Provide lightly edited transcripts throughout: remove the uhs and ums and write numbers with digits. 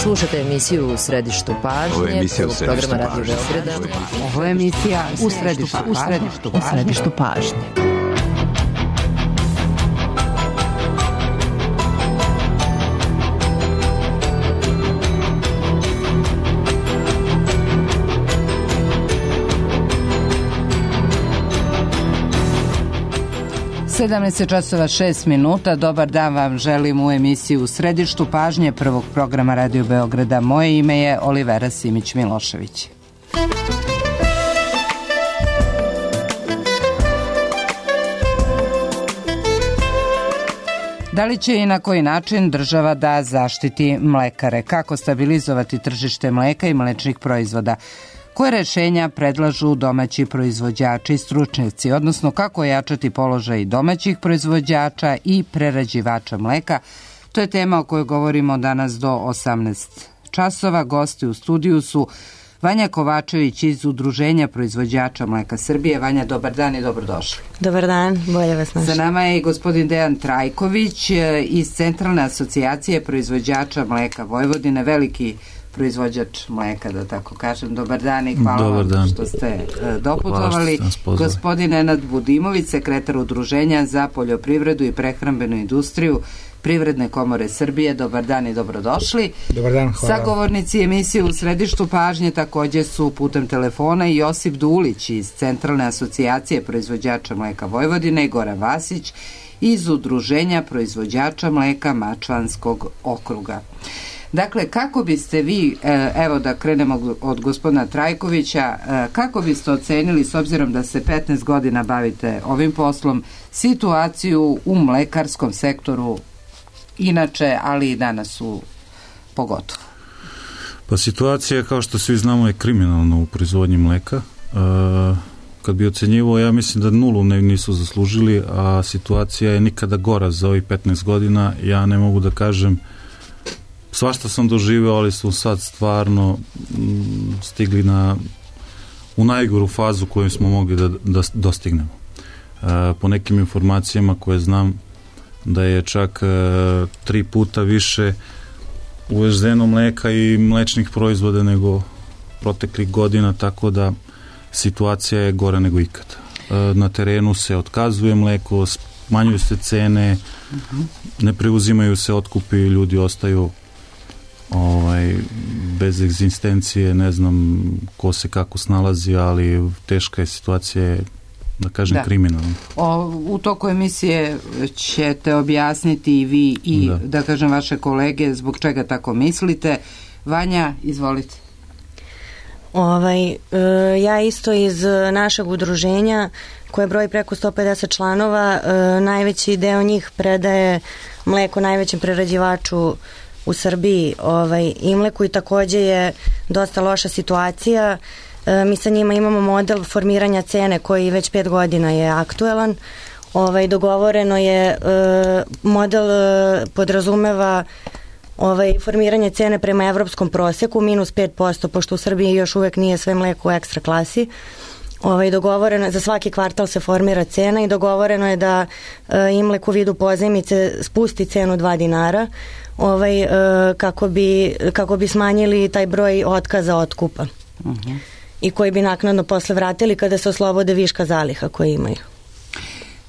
Slušate emisiju U središtu pažnje, programa Radio Beograda. Ovo je emisija U središtu pažnje. časova 6 minuta. Dobar dan vam želim u emisiji U središtu pažnje prvog programa Radio Beograda. Moje ime je Olivera Simić-Milošević. Da li će i na koji način država da zaštiti mlekare? Kako stabilizovati tržište mleka i mlečnih proizvoda? Koje rešenja predlažu domaći proizvođači i stručnjaci, odnosno kako ojačati položaj domaćih proizvođača i prerađivača mleka? To je tema o kojoj govorimo danas do 18 časova. Gosti u studiju su Vanja Kovačević iz Udruženja proizvođača mleka Srbije. Vanja, dobar dan i dobrodošli. Dobar dan, bolje vas našli. Za nama je i gospodin Dejan Trajković iz Centralne asocijacije proizvođača mleka Vojvodine, veliki proizvođač mleka, da tako kažem. Dobar dan i hvala vam što ste doputovali. Gospodin Nenad Budimović, sekretar Udruženja za poljoprivredu i prehrambenu industriju Privredne komore Srbije. Dobar dan i dobrodošli. Dobar dan, hvala. Sagovornici emisije U središtu pažnje također su putem telefona i Josip Dulić iz Centralne asocijacije proizvođača mleka Vojvodine i Goran Vasić iz Udruženja proizvođača mleka Mačvanskog okruga. Dakle, kako biste vi, evo da krenemo od gospodina Trajkovića, kako biste ocenili, s obzirom da se 15 godina bavite ovim poslom, situaciju u mlekarskom sektoru inače, ali i danas pogotovo? Pa situacija, kao što svi znamo, je kriminalna u proizvodnji mleka. Kad bi ocenjivao, ja mislim da nulu nisu zaslužili, a situacija je nikada gora za ovih 15 godina. Ja ne mogu da kažem, svašta sam doživeo, ali su sad stvarno stigli u najgoru fazu koju smo mogli da dostignemo. Po nekim informacijama koje znam, da je čak 3 puta više uvezeno mleka i mlečnih proizvoda nego proteklih godina, tako da situacija je gora nego ikad. Na terenu se otkazuje mleko, smanjuju se cene, ne preuzimaju se otkupi, ljudi ostaju bez egzistencije, ne znam ko se kako snalazi, ali teška je situacija, da kažem, kriminalna. U toku emisije ćete objasniti i vi i da kažem vaše kolege zbog čega tako mislite. Vanja, izvolite. Ja isto iz našeg udruženja koje broji preko 150 članova, najveći deo njih predaje mleko najvećem prerađivaču u Srbiji, Imleku, i također je dosta loša situacija. Mi sa njima imamo model formiranja cene koji već 5 godina je aktuelan. Dogovoreno je, model podrazumeva formiranje cene prema evropskom prosjeku minus 5%, pošto u Srbiji još uvek nije sve mleko u ekstra klasi. Dogovoreno, za svaki kvartal se formira cena i dogovoreno je da Imlek u vidu pozajmice spusti cenu 2 dinara kako bi smanjili taj broj otkaza otkupa i koji bi naknadno posle vratili kada se oslobode viška zaliha koje imaju.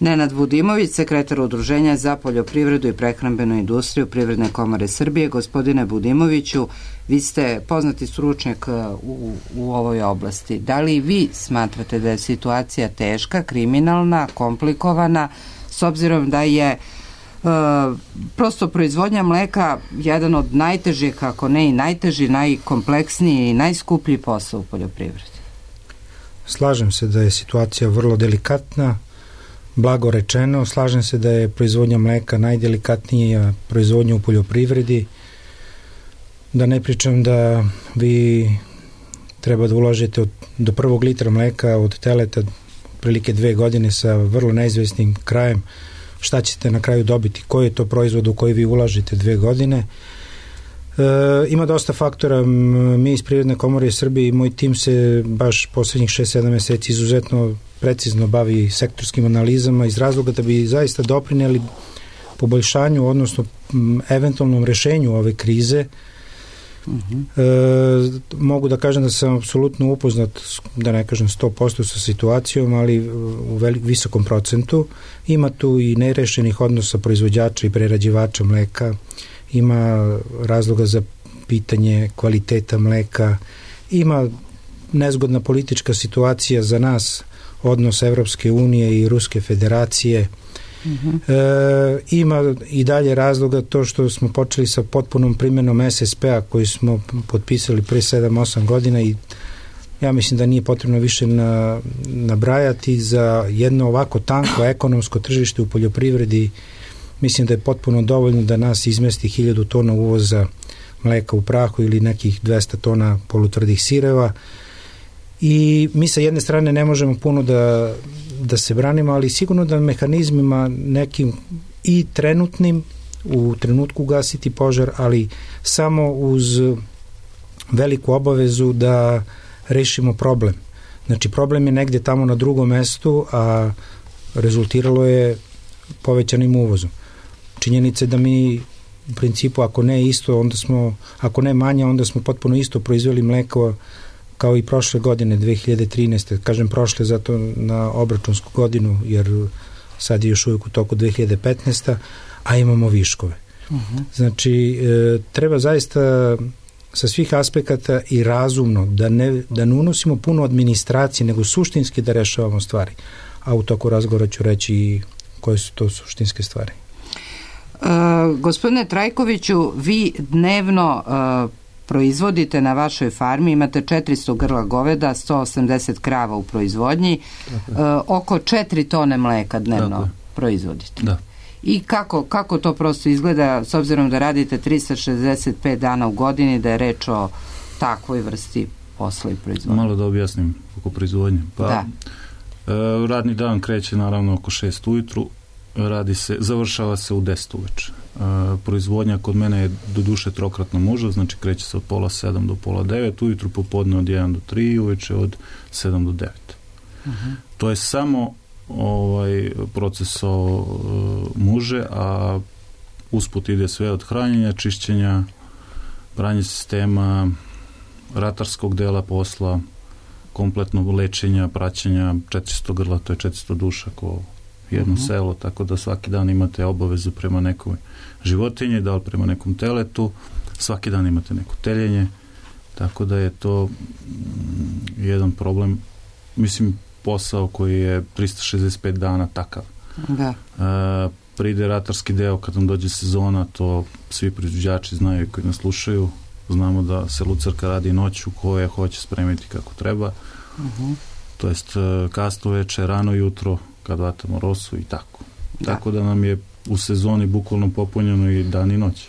Nenad Budimović, sekretar Udruženja za poljoprivredu i prehrambenu industriju Privredne komore Srbije. Gospodine Budimoviću, vi ste poznati stručnjak u ovoj oblasti. Da li vi smatrate da je situacija teška, kriminalna, komplikovana, s obzirom da je prosto proizvodnja mleka jedan od najtežih, ako ne i najteži, najkompleksniji i najskuplji posao u poljoprivredi? Slažem se da je situacija vrlo delikatna, blago rečeno. Slažem se da je proizvodnja mleka najdelikatnija proizvodnja u poljoprivredi. Da ne pričam da vi treba da ulažete do 1. litra mleka od teleta prilike 2 godine sa vrlo neizvesnim krajem. Šta ćete na kraju dobiti? Koji je to proizvod u koji vi ulažete 2 godine? Ima dosta faktora. Mi iz Privredne komore Srbije i moj tim se baš poslednjih 6-7 meseci izuzetno precizno bavi sektorskim analizama iz razloga da bi zaista doprineli poboljšanju, odnosno eventualnom rešenju ove krize Mogu da kažem da sam apsolutno upoznat, da ne kažem 100% sa situacijom, ali u visokom procentu. Ima tu i nerešenih odnosa proizvođača i prerađivača mleka, ima razloga za pitanje kvaliteta mleka, ima nezgodna politička situacija za nas, odnos Evropske unije i Ruske federacije. Ima i dalje razloga to što smo počeli sa potpunom primjenom SSP-a koji smo potpisali pre 7-8 godina i ja mislim da nije potrebno više nabrajati. Za jedno ovako tanko ekonomsko tržište u poljoprivredi mislim da je potpuno dovoljno da nas izmesti 1000 tona uvoza mleka u prahu ili nekih 200 tona polutvrdih sireva i mi sa jedne strane ne možemo puno da se branimo, ali sigurno da mehanizmima nekim i trenutnim u trenutku gasiti požar, ali samo uz veliku obavezu da rešimo problem. Znači problem je negde tamo na drugom mestu, a rezultiralo je povećanim uvozom. Činjenica je da mi u principu ako ne isto, onda smo, ako ne manje, onda smo potpuno isto proizveli mleko kao i prošle godine, 2013. Kažem prošle zato na obračunsku godinu, jer sad je još uvijek u toku 2015. a imamo viškove. Znači, treba zaista sa svih aspekata i razumno da ne unosimo puno administracije, nego suštinski da rešavamo stvari. A u toku razgovora ću reći i koje su to suštinske stvari. Gospodine Trajkoviću, vi dnevno proizvodite na vašoj farmi, imate 400 grla goveda, 180 krava u proizvodnji, oko 4 tone mleka dnevno proizvodite. Da. I kako to prosto izgleda, s obzirom da radite 365 dana u godini, da je reč o takvoj vrsti posla i proizvodnje? Malo da objasnim oko proizvodnje. Pa, radni dan kreće naravno oko 6 ujutru, završava se u 10 uveče. Proizvodnja kod mene je do duše trokratna muža, znači kreće se od 8:30 do 8:30, ujutru popodne od 1 do 3, uveče od 7 do 9. To je samo proces muže, a usput ide sve od hranjenja, čišćenja, pranje sistema, ratarskog dela posla, kompletnog lečenja, praćenja, 400 grla, to je 400 duša ko jedno selo, tako da svaki dan imate obavezu prema nekoj životinji, da li prema nekom teletu, svaki dan imate neko teljenje, tako da je to jedan problem, mislim, posao koji je 365 dana takav. Da. Pride ratarski deo kad nam dođe sezona, to svi proizvođači znaju koji nas slušaju, znamo da se lucerka radi noću koje hoće spremiti kako treba, to jest kasno veče, rano jutro, kad vatamo rosu i tako. Tako da nam je u sezoni bukvalno popunjeno i dan i noć.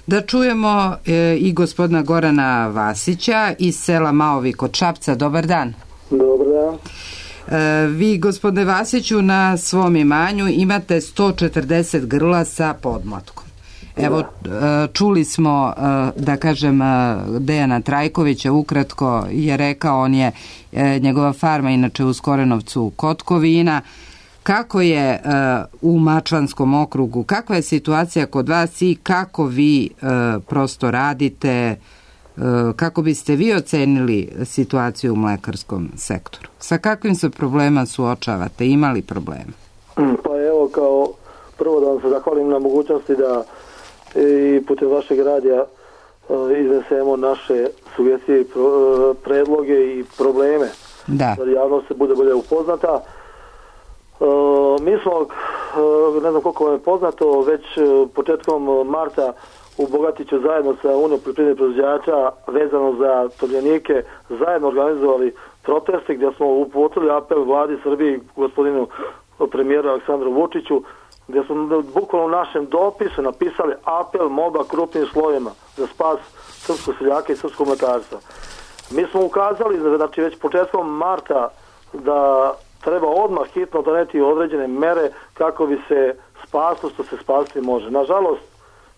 Da čujemo i gospodina Gorana Vasića iz sela Maovi kod Šapca. Dobar dan. Dobar dan. Vi, gospodine Vasiću, na svom imanju imate 140 grla sa podmlatkom. Evo, čuli smo, da kažem, Dejana Trajkovića, ukratko je rekao, on je, njegova farma inače u Skorenovcu kod Kovina. Kako je u Mačvanskom okrugu, kakva je situacija kod vas i kako vi prosto radite, kako biste vi ocenili situaciju u mlekarskom sektoru? Sa kakvim se problema suočavate? Imali problema? Pa evo, kao prvo da vam se zahvalim na mogućnosti da i putem vašeg radija iznesemo naše sugestije, predloge i probleme. Da javnost se bude bolje upoznata. Mi smo, ne znam koliko vam je poznato, već početkom marta u Bogatiću zajedno sa Unijom poljoprivrednih proizvođača vezano za tovljenike zajedno organizovali proteste gdje smo uputili apel vladi Srbije, gospodinu premijeru Aleksandru Vučiću, gdje smo bukvalno u našem dopisu napisali apel molba krupnim slojima za spas srpskog seljaka i srpskog mlekarstva. Mi smo ukazali, znači već početkom marta, da treba odmah hitno doneti određene mere kako bi se spaslo što se spasti može. Nažalost,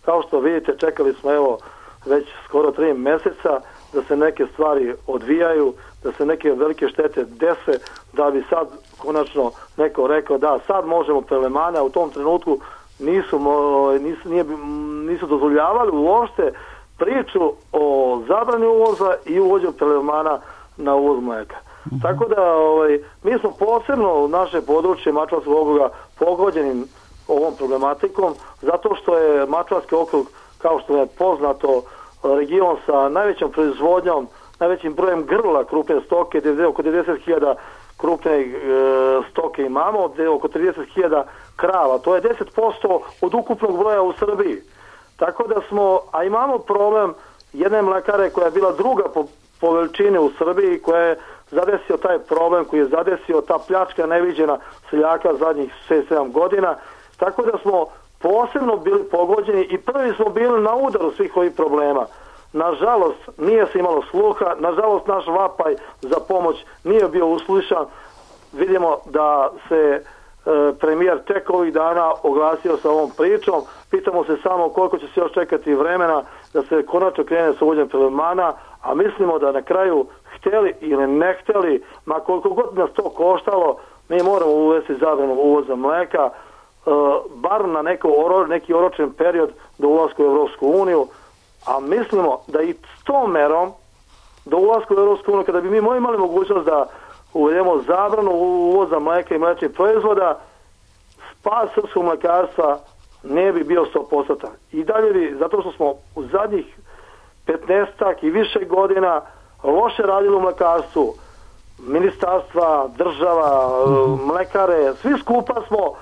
kao što vidite, čekali smo evo već skoro 3 mjeseca da se neke stvari odvijaju, da se neke velike štete dese, da bi sad konačno neko rekao da sad možemo prelemane, a u tom trenutku nisu dozvoljavali uopšte priču o zabrani uvoza i uvođenju prelevmana na uvoz mleka. Tako da mi smo posebno u naše područje Mačvanskog okruga pogođenim ovom problematikom, zato što je Mačvanski okrug, kao što je poznato, region sa najvećom proizvodnjom, najvećim brojem grla krupne stoke, oko 90.000 krupne stoke imamo, oko 30.000 krava. To je 10% od ukupnog broja u Srbiji. Tako da smo, a imamo problem jedne mlekare koja je bila druga po veličini u Srbiji, koja je zadesio taj problem, koji je zadesio ta pljačka neviđena seljaka zadnjih 6-7 godina. Tako da smo posebno bili pogođeni i prvi smo bili na udaru svih ovih problema. Nažalost, nije se imalo sluha, nažalost naš vapaj za pomoć nije bio uslišan. Vidimo da se premijer tek ovih dana oglasio sa ovom pričom. Pitamo se samo koliko će se još čekati vremena da se konačno krene sa uvođenjem prelevmana, a mislimo da na kraju, hteli ili ne hteli, ma koliko god nas to koštalo, mi moramo uvesti zabranu uvoza mleka, bar na neki oročen period do ulaska u Evropsku uniju, a mislimo da i s tom merom do ulaska u Evropsku uniju, kada bi mi imali mogućnost da uvedemo zabranu uvoza mleka i mlečnih proizvoda, spas srpskog mlekarstva ne bi bio 100%. I dalje bi, zato što smo u zadnjih 15 i više godina loše radili u mlekarstvu, ministarstva, država, mlekare, svi skupa smo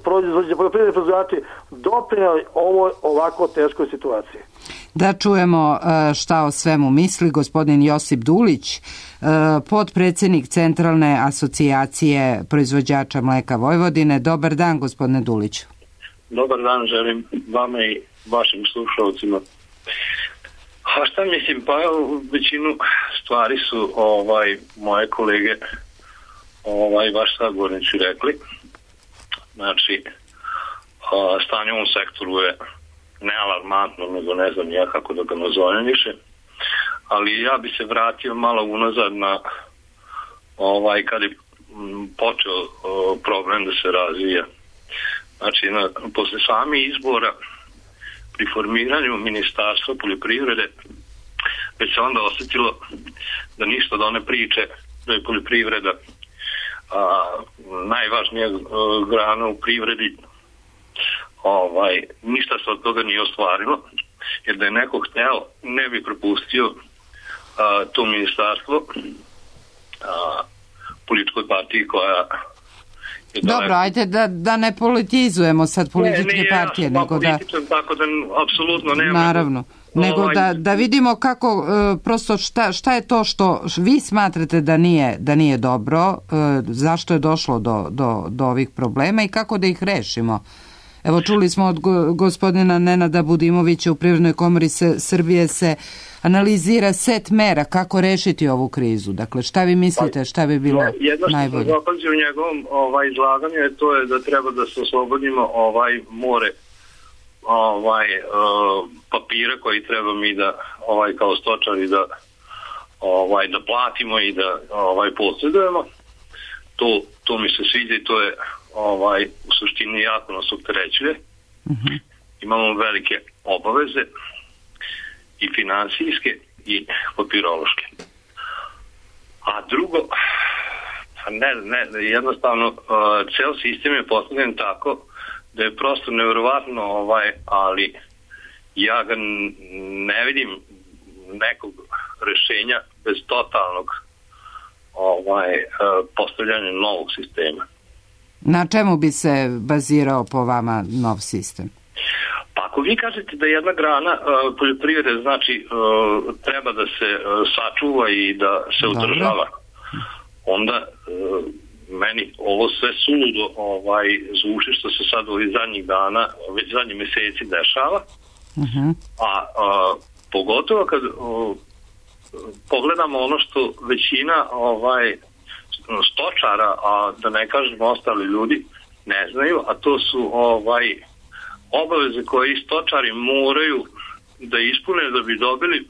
poljoprivredni proizvođači doprinijeli ovoj ovako teškoj situaciji. Da čujemo šta o svemu misli gospodin Josip Dulić, potpredsjednik Centralne asocijacije proizvođača mleka Vojvodine. Dobar dan, gospodine Duliću. Dobar dan, želim vama i vašim slušalcima. A šta mislim, pa većinu stvari su moje kolege vaš sagovornici rekli. Znači, stanje u ovom sektoru je nealarmantno, nego ne znam ja kako da ga nazovem više. Ali ja bi se vratio malo unazad na kad je počeo problem da se razvija. Znači, posle sami izbora pri formiranju Ministarstva poljoprivrede već se onda osjetilo da ništa od one priče da je poljoprivreda najvažnija grana u privredi, ništa se od toga nije ostvarilo, jer da je neko hteo ne bi propustio to ministarstvo političkoj partiji koja je dobro, ajde da ne politizujemo sad političke partije, nego da... Tako da apsolutno nema... Naravno, nego da vidimo kako, prosto šta je to što vi smatrate da nije dobro, zašto je došlo do ovih problema i kako da ih rešimo. Evo, čuli smo od gospodina Nenada Budimovića, u Privrednoj komori Srbije se analizira set mera kako rešiti ovu krizu. Dakle, šta vi mislite, šta bi bilo najbolje? Jedno što sam zapazio u njegovom izlaganju, to je da treba da se oslobodimo more papira koji treba mi da kao stočari da platimo i da posjedujemo. To mi se sviđa i to je u suštini jako nas opterećuje. Imamo velike obaveze i finansijske i papirološke. A drugo, jednostavno ceo sistem je postavljen tako da je prosto nevjerovatno, ali ja ga ne vidim nekog rešenja bez totalnog postavljanja novog sistema. Na čemu bi se bazirao po vama nov sistem? Pa ako vi kažete da jedna grana poljoprivrede znači treba da se sačuva i da se održava, onda meni ovo sve suludo zvuči što se sad ovih zadnjih dana, već zadnjih meseci dešava, a pogotovo kad pogledamo ono što većina stočara, a da ne kažemo ostali ljudi, ne znaju, a to su obaveze koje stočari moraju da ispune da bi dobili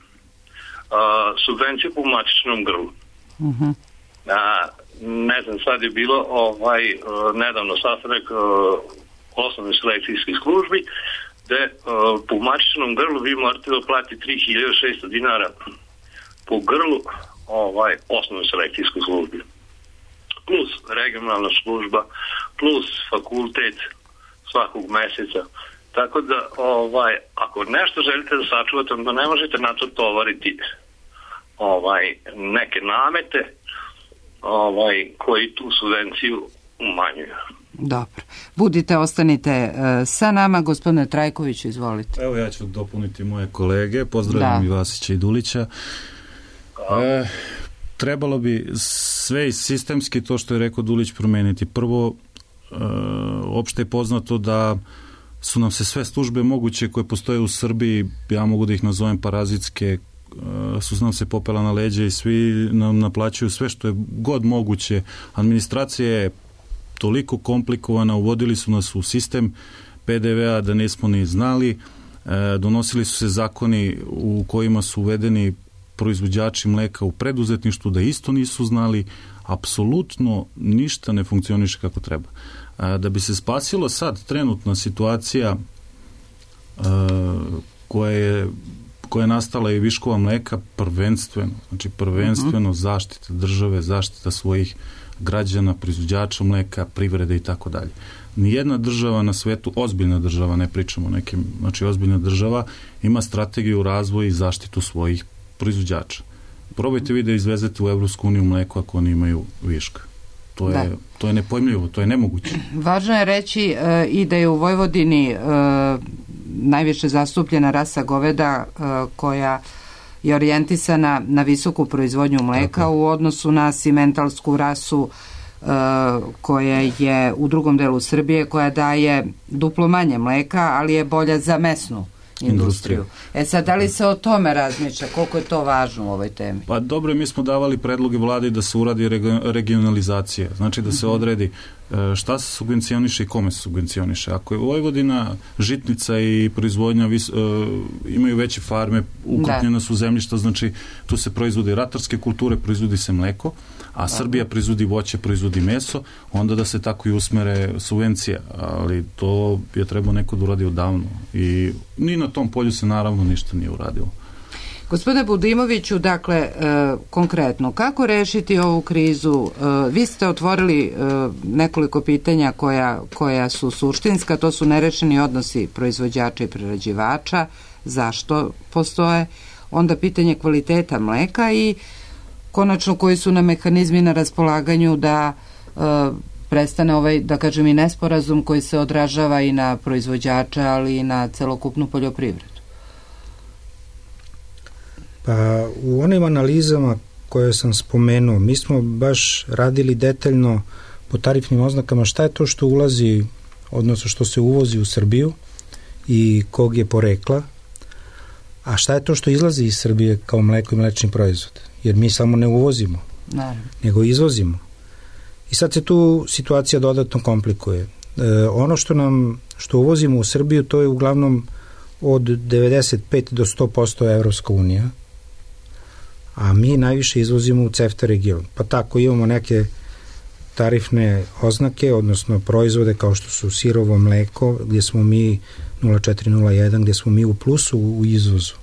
subvenciju po matičnom grlu. Ne znam, sad je bilo nedavno sastanak osnovnih selekcijskih službi gde po mačičnom grlu vi morate da platite 3600 dinara po grlu osnovnoj selekcijskoj službi. Plus regionalna služba, plus fakultet svakog meseca. Tako da, ako nešto želite da sačuvate, onda ne možete na to tovariti neke namete koji tu subvenciju umanjuju. Dobro. Budite, ostanite sa nama. Gospodine Trajkoviću, izvolite. Evo ja ću dopuniti moje kolege. Pozdravljam i Vasića i Dulića. Trebalo bi sve sistemski, to što je rekao Dulić, promeniti. Prvo, opšte je poznato da su nam se sve službe moguće koje postoje u Srbiji, ja mogu da ih nazovem parazitske, su nam se popela na leđe i svi nam naplaćuju sve što je god moguće. Administracija je toliko komplikovana, uvodili su nas u sistem PDV-a da nismo ni znali, donosili su se zakoni u kojima su uvedeni proizvođači mleka u preduzetništvu da isto nisu znali, apsolutno ništa ne funkcioniše kako treba. Da bi se spasilo sad trenutna situacija koja je nastala i viškova mleka, prvenstveno zaštita države, zaštita svojih građana, proizvođača mleka, privrede i tako dalje. Nijedna država na svetu, ozbiljna država, ne pričamo o nekim, znači ozbiljna država, ima strategiju razvoja i zaštitu svojih proizvođača. Probajte vi da izvezete u Evropsku uniju mleko ako oni imaju viška. To je nepojmljivo, to je nemoguće. Važno je reći i da je u Vojvodini najviše zastupljena rasa goveda koja je orijentisana na visoku proizvodnju mleka u odnosu na simentalsku rasu koja je u drugom delu Srbije, koja daje duplo manje mleka, ali je bolja za mesnu industriju. Sad, da li se o tome razmišlja? Koliko je to važno u ovoj temi? Pa dobro, mi smo davali predloge vladi da se uradi regionalizacija. Znači da se odredi šta se subvencioniše i kome se subvencioniše. Ako je Vojvodina, žitnica i proizvodnja imaju veće farme, ukrupnjena su zemljišta, znači tu se proizvode ratarske kulture, proizvodi se mleko, a Srbija proizvodi voće, proizvodi meso, onda da se tako i usmere subvencija, ali to je trebao neko da uradi odavno i ni na tom polju se naravno ništa nije uradilo. Gospodine Budimoviću, dakle, konkretno, kako rešiti ovu krizu? Vi ste otvorili nekoliko pitanja koja su suštinska, to su nerešeni odnosi proizvođača i prerađivača, zašto postoje, onda pitanje kvaliteta mleka i konačno koji su na mehanizmi na raspolaganju da prestane ovaj, da kažem, i nesporazum koji se odražava i na proizvođača, ali i na celokupnu poljoprivredu. Pa u onim analizama koje sam spomenuo, mi smo baš radili detaljno po tarifnim oznakama šta je to što ulazi, odnosno što se uvozi u Srbiju i kog je porekla, a šta je to što izlazi iz Srbije kao mleko i mlečni proizvod. Jer mi samo ne uvozimo, nego izvozimo. I sad se tu situacija dodatno komplikuje. Ono što uvozimo u Srbiju, to je uglavnom od 95 do 100% Evropska unija, a mi najviše izvozimo u CEFTA region. Pa tako imamo neke tarifne oznake, odnosno proizvode kao što su sirovo mleko, gdje smo mi 0,401, gdje smo mi u plusu u izvozu.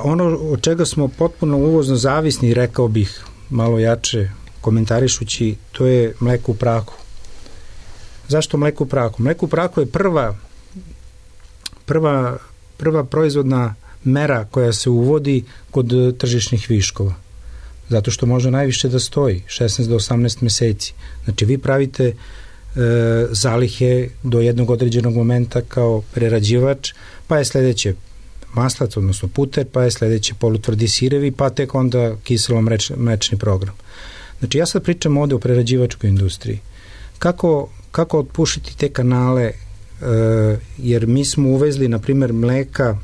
Ono od čega smo potpuno uvozno zavisni, rekao bih malo jače komentarišući, to je mleko u prahu. Zašto mleko u prahu? Mleko u prahu je prva proizvodna mera koja se uvodi kod tržišnih viškova. Zato što može najviše da stoji, 16 do 18 meseci. Znači vi pravite zalihe do jednog određenog momenta kao prerađivač, pa je sledeće maslac, odnosno puter, pa je sledeće polutvrdi sirevi, pa tek onda kiselo mlečni program. Znači ja sad pričam ovde o prerađivačkoj industriji. Kako otpušiti te kanale, jer mi smo uvezli, na primjer, mleka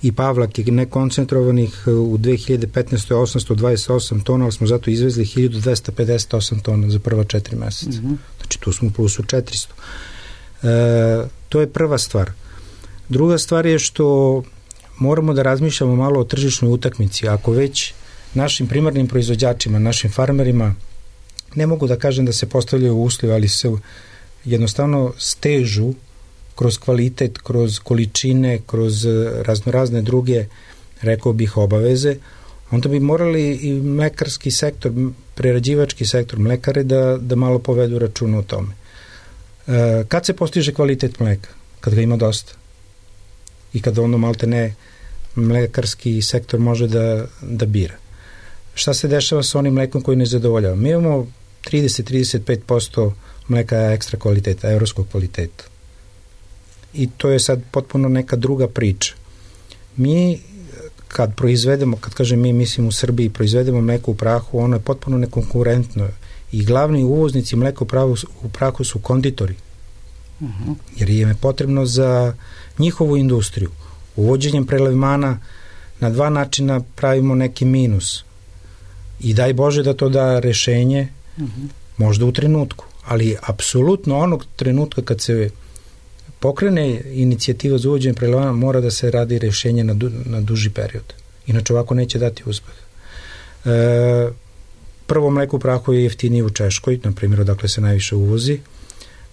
i pavlake nekoncentrovanih u 2015. 828 tona, ali smo zato izvezli 1258 tona za prva 4 meseca. Znači tu smo u plusu 400. To je prva stvar. Druga stvar je što moramo da razmišljamo malo o tržišnoj utakmici. Ako već našim primarnim proizvođačima, našim farmerima, ne mogu da kažem da se postavljaju uslovi, ali se jednostavno stežu kroz kvalitet, kroz količine, kroz razne druge, rekao bih, obaveze, onda bi morali i mlekarski sektor, prerađivački sektor, mlekare da malo povedu računa o tome. Kad se postiže kvalitet mleka? Kad ga ima dosta. I kada ono malte ne mlekarski sektor može da bira. Šta se dešava sa onim mlekom koji ne zadovoljava? Mi imamo 30-35% mleka ekstra kvaliteta, evropskog kvaliteta. I to je sad potpuno neka druga priča. Mi kad proizvedemo, kad kažem mi, mislim u Srbiji, proizvedemo mleko u prahu, ono je potpuno nekonkurentno i glavni uvoznici mleka u prahu su konditori. Jer im je potrebno za njihovu industriju. Uvođenjem prelevmana na dva načina pravimo neki minus. I daj Bože da to da rešenje, možda u trenutku, ali apsolutno onog trenutka kad se pokrene inicijativa za uvođenje prelevmana mora da se radi rešenje na duži period. Inače ovako neće dati uspeh. Prvo, mleko u prahu je jeftinije u Češkoj, na primjer odakle se najviše uvozi.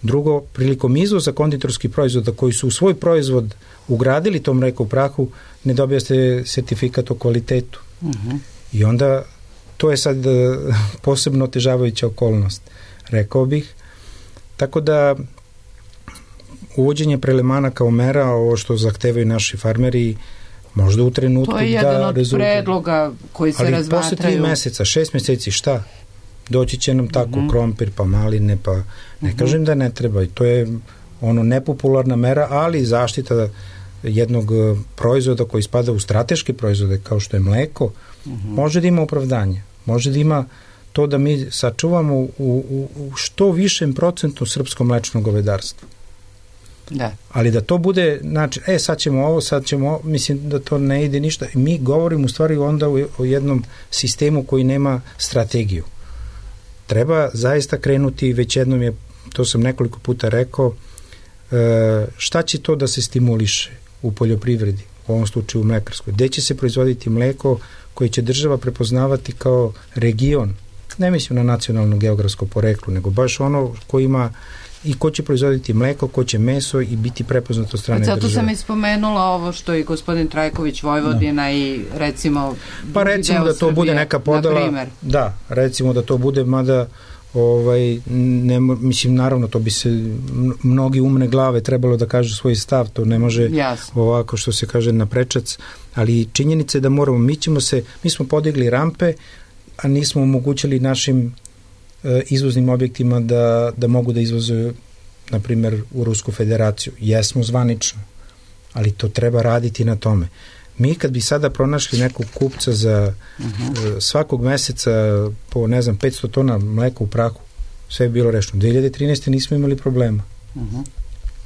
Drugo, prilikom izvoza konditorskih proizvoda koji su u svoj proizvod ugradili to mleko u prahu, ne dobijaste sertifikat o kvalitetu. I onda to je sad posebno otežavajuća okolnost, rekao bih. Tako da uvođenje prelevmana kao mera, ovo što zahtevaju naši farmeri, možda u trenutku da rezultat. To je jedan od predloga koji se razmatraju. Ali posle 3 meseca, 6 meseci, šta? Doći će nam tako krompir, pa maline, pa ne kažem da ne treba. I to je ono nepopularna mera, ali zaštita jednog proizvoda koji spada u strateške proizvode, kao što je mleko, može da ima opravdanje. Može da ima to da mi sačuvamo u što višem procentu srpsko mlečno govedarstvo. Da. Ali da to bude, znači, sad ćemo ovo, mislim da to ne ide ništa. Mi govorimo u stvari onda o jednom sistemu koji nema strategiju. Treba zaista krenuti, već jednom je, to sam nekoliko puta rekao, šta će to da se stimuliše u poljoprivredi, u ovom slučaju u mlekarskoj. Gde će se proizvoditi mleko koje će država prepoznavati kao region, ne mislim na nacionalno geografsko poreklo, nego baš ono ko ima i ko će proizvoditi mleko, ko će meso i biti prepoznato od strane države. Zato sam ispomenula ovo što i gospodin Trajković, Vojvodina i recimo pa recimo da to Srbije, bude neka podela, da, recimo da to bude, mada mislim, naravno to bi se mnogi umne glave trebalo da kažu svoj stav, to ne može ovako što se kaže na prečac, ali činjenica je da moramo, mi smo podigli rampe, a nismo omogućili našim izvoznim objektima da mogu da izvoze, na primjer, u Rusku federaciju. Jesmo zvanično, ali to treba raditi na tome. Mi kad bi sada pronašli nekog kupca za svakog meseca po, 500 tona mleka u prahu, sve je bilo rešeno. 2013. nismo imali problema.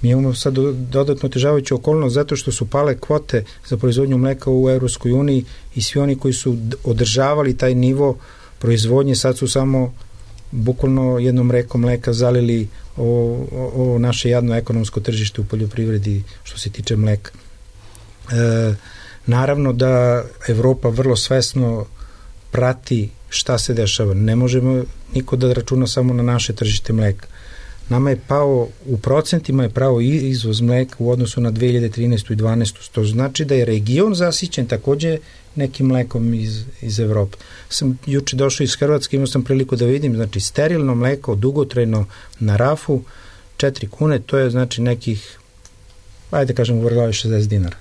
Mi imamo sad dodatno otežavajuću okolnost zato što su pale kvote za proizvodnju mleka u Evropskoj uniji i svi oni koji su održavali taj nivo proizvodnje sad su samo bukvalno jednom rekom mleka zalili o naše jadno ekonomsko tržište u poljoprivredi što se tiče mleka. Naravno da Evropa vrlo svesno prati šta se dešava. Ne možemo niko da računa samo na naše tržište mleka. Nama je pao, u procentima je pao izvoz mleka u odnosu na 2013. i 2012. To znači da je region zasićen takođe nekim mlekom iz Evrope. Sam juče došao iz Hrvatske, imao sam priliku da vidim, znači sterilno mleko, dugotrajno na rafu, 4 kune, to je znači nekih, ajde kažem, u vrglavi 60 dinara.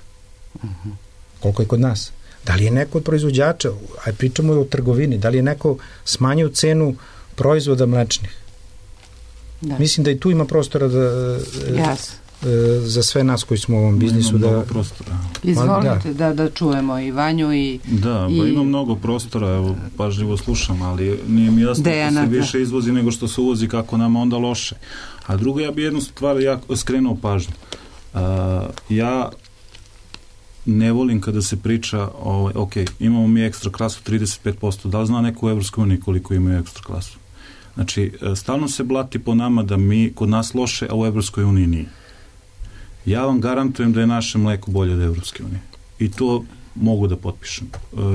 Koliko je kod nas? Da li je neko od proizvođača, aj pričamo o trgovini, da li je neko smanjio cenu proizvoda mlečnih? Da. Mislim da i tu ima prostora za sve nas koji smo u ovom biznisu. Izvolite da čujemo i Vanju i... Da, ima mnogo prostora, evo, pažljivo slušam, ali nije mi jasno da se više izvozi nego što se uvozi, kako nama onda loše. A drugo, ja bi jednu stvar skrenuo pažnju. Ja ne volim kada se priča ok, imamo mi ekstra klasu 35%, da li zna neko u Evropskoj uniji koliko imaju ekstra klasu? Znači, stalno se blati po nama da mi kod nas loše, a u Evropskoj uniji nije. Ja vam garantujem da je naše mleko bolje od Evropske unije. I to mogu da potpišem.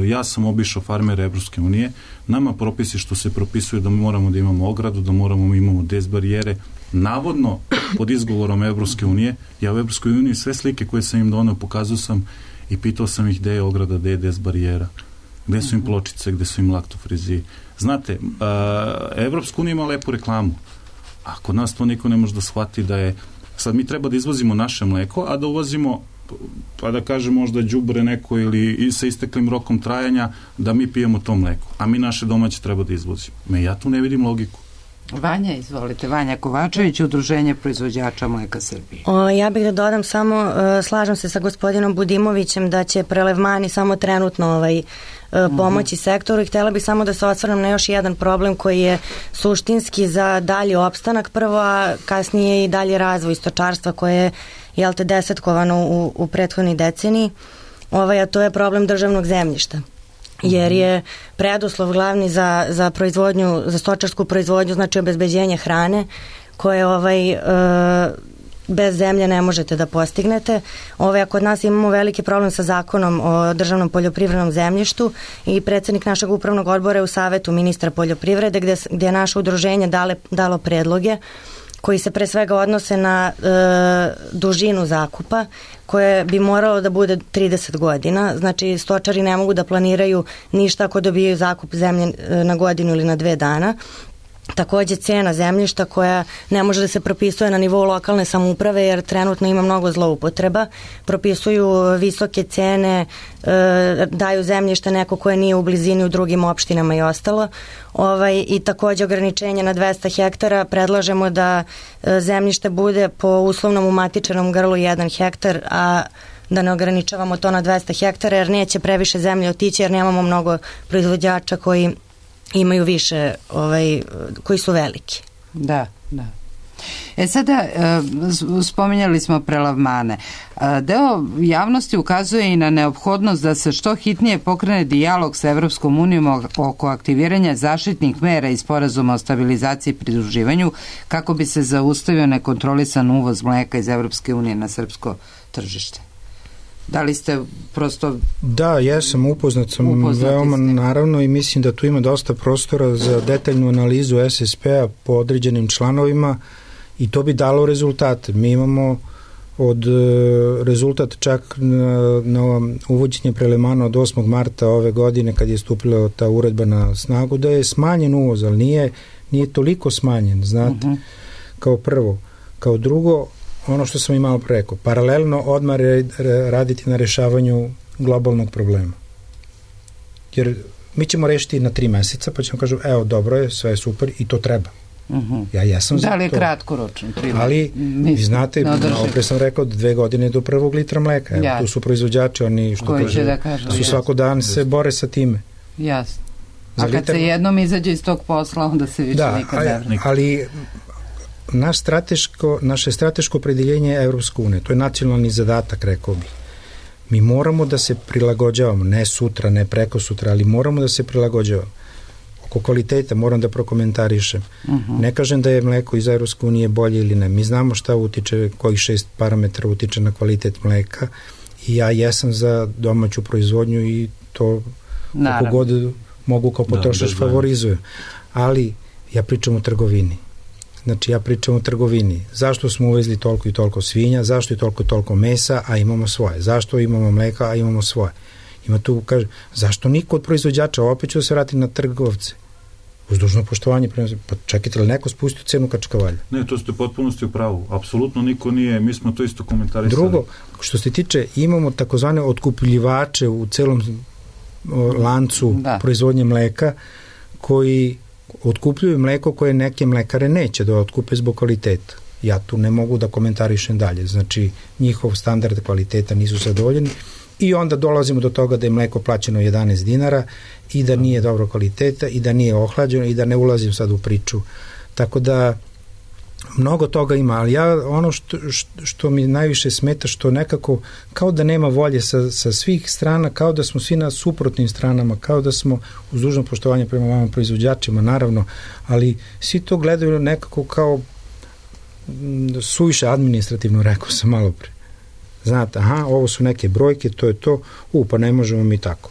Ja sam obišao farmere Evropske unije. Nama propisi što se propisuju da moramo da imamo ogradu, da moramo imamo des barijere, navodno pod izgovorom Evropske unije. Ja u Evropskoj uniji sve slike koje sam im doneo pokazao sam i pitao sam ih gde je ograda, gde je des barijera, gde su im pločice, gde su im laktofrizi. Znate, Evropska unija ima lepu reklamu. Ako nas to niko ne može da shvati da je, sad mi treba da izvozimo naše mleko, a da uvozimo, pa da kaže možda đubre neko ili sa isteklim rokom trajanja, da mi pijemo to mleko, a mi naše domaće treba da izvozimo. Ja tu ne vidim logiku. Vanja, izvolite. Vanja Kovačević, Udruženje proizvođača mleka Srbije. Ja bih da dodam samo, slažem se sa gospodinom Budimovićem da će prelevmani samo trenutno pomoći sektoru i htjela bih samo da se osvrnem na još jedan problem koji je suštinski za dalji opstanak prvo, a kasnije i dalji razvoj stočarstva koje je desetkovano u prethodnoj deceniji, a to je problem državnog zemljišta. Jer je preduslov glavni za proizvodnju, za stočarsku proizvodnju, znači obezbeđenje hrane koje bez zemlje ne možete da postignete. Kod nas imamo veliki problem sa zakonom o državnom poljoprivrednom zemljištu i predsjednik našeg upravnog odbora je u savetu ministra poljoprivrede gdje je naše udruženje dalo predloge koji se pre svega odnose na dužinu zakupa koje bi moralo da bude 30 godina. Znači stočari ne mogu da planiraju ništa ako dobijaju zakup zemlje na godinu ili na 2 dana. Također cena zemljišta koja ne može da se propisuje na nivou lokalne samouprave jer trenutno ima mnogo zloupotreba. Propisuju visoke cene, daju zemljište neko koje nije u blizini u drugim opštinama i ostalo. I također ograničenje na 200 hektara. Predlažemo da zemljište bude po uslovnom umatičenom grlu 1 hektar, a da ne ograničavamo to na 200 hektara jer neće previše zemlje otići jer nemamo mnogo proizvođača koji imaju više, koji su veliki. Da. Sada, spominjali smo prelavmane. Deo javnosti ukazuje i na neophodnost da se što hitnije pokrene dijalog sa Evropskom unijom oko aktiviranja zaštitnih mera i sporazuma o stabilizaciji i pridruživanju kako bi se zaustavio nekontrolisan uvoz mleka iz Evropske unije na srpsko tržište. Da li ste prosto... Da, ja sam upoznat veoma naravno i mislim da tu ima dosta prostora za detaljnu analizu SSP-a po određenim članovima i to bi dalo rezultate. Mi imamo rezultat čak na uvođenje prelevmana od 8. marta ove godine kad je stupila ta uredba na snagu da je smanjen uvoz, ali nije toliko smanjen, znate, kao prvo. Kao drugo, ono što sam i malo rekao, paralelno odmah raditi na rešavanju globalnog problema. Jer mi ćemo rešiti na 3 meseca, pa ćemo kažem, evo, dobro je, sve je super i to treba. Ja jesam za to. Da li je kratkoročno? Ali, vi znate, opre sam rekao 2 godine do 1. litra mleka. Evo, tu su proizvođači, oni što su svako dan se bore sa time. Jasno. A kad se jednom izađe iz tog posla, onda se više nikad ne vrne. Ali naše strateško opredeljenje je Evropska unija. To je nacionalni zadatak, rekao bih. Mi moramo da se prilagođavamo, ne sutra, ne preko sutra, ali moramo da se prilagođavamo. Oko kvaliteta moram da prokomentarišem. Ne kažem da je mleko iz Evropske unije bolje ili ne. Mi znamo šta utiče, kojih 6 parametara utiče na kvalitet mleka i ja jesam za domaću proizvodnju i to kako god mogu kao potrošač favorizujem. Ali ja pričam o trgovini. Znači ja pričam o trgovini. Zašto smo uvezli toliko i toliko svinja, zašto je toliko mesa, a imamo svoje? Zašto imamo mleka, a imamo svoje? Ima tu, kaže, zašto niko od proizvođača, opet ću da se vrati na trgovce? Uz dužno poštovanje, pa čekajte li neko spustio cenu kačkavalja? Ne, to ste potpunosti u pravu. Apsolutno niko nije, mi smo to isto komentarisali. Drugo, što se tiče, imamo takozvane otkupljivače u celom lancu proizvodnje mleka, koji otkupljuju mleko koje neke mlekare neće da otkupe zbog kvaliteta. Ja tu ne mogu da komentarišem dalje. Znači, njihov standard kvaliteta nisu zadovoljeni i onda dolazimo do toga da je mleko plaćeno 11 dinara i da nije dobro kvaliteta i da nije ohlađeno i da ne ulazim sad u priču. Tako da mnogo toga ima, ali ja ono što mi najviše smeta, što nekako kao da nema volje sa svih strana, kao da smo svi na suprotnim stranama, kao da smo uz dužno poštovanje prema vama proizvođačima, naravno, ali svi to gledaju nekako kao suviše administrativno, rekao sam malo pre. Znate, ovo su neke brojke, to je to, pa ne možemo mi tako.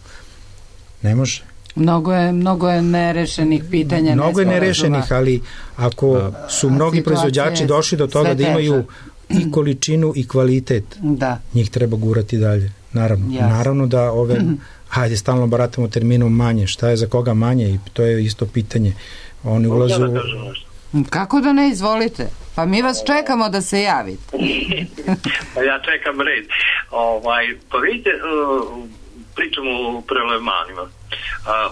Ne može. Mnogo je nerešenih pitanja. Mnogo je nerešenih, ali ako su mnogi proizvođači došli do toga da imaju i količinu i kvalitet, njih treba gurati dalje. Naravno da ove, hajde stalno baratamo terminom manje, šta je za koga manje i to je isto pitanje. Oni ulazu... Kako da ne, izvolite? Pa mi vas čekamo da se javite. Pa ja čekam red. Pa vidite, pričamo o prelemanima.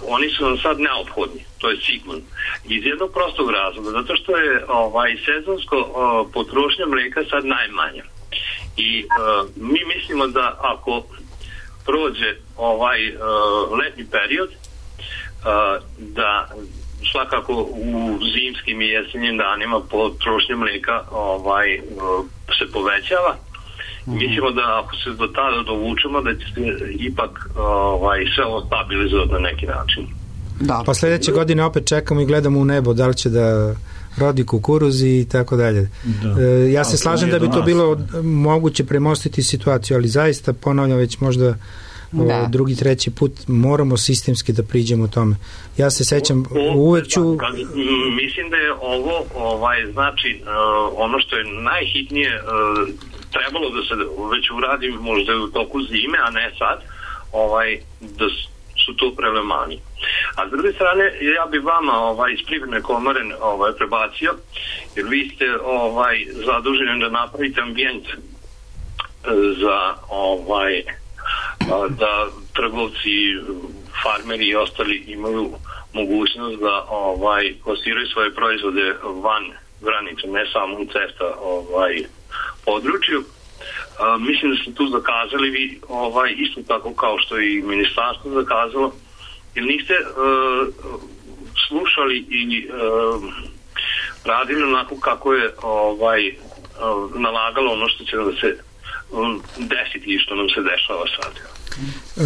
Oni su nam sad neophodni, to je sigurno. Iz jednog prostog razloga, zato što je sezonsko potrošnja mlijeka sad najmanja. I mi mislimo da ako prođe letnji period, da svakako u zimskim i jesenjim danima potrošnja mlijeka se povećava. Mislimo da ako se do tada dovučemo da će se ipak sve ovo stabilizovati na neki način. Pa sljedeće godine opet čekamo i gledamo u nebo da li će da rodi kukuruz i tako dalje. Ja se slažem da bi to bilo moguće premostiti situaciju, ali zaista ponavljam već možda drugi, treći put moramo sistemski da priđemo tome. Ja se sećam, uvek ću... Mislim da je ovo znači ono što je najhitnije trebalo da se već uradi možda u toku zime, a ne sad, da su to prelemani. A s druge strane, ja bi vama iz Privredne komore prebacio, jer vi ste zaduženi da napravite ambijent za da trgovci, farmeri i ostali imaju mogućnost da plasiraju svoje proizvode van granica, ne samo u CEFTA području. Mislim da ste tu zakazali vi isto tako kao što i ministarstvo zakazalo, jer niste slušali i radili onako kako je nalagalo ono što će da se desiti i što nam se dešava sad.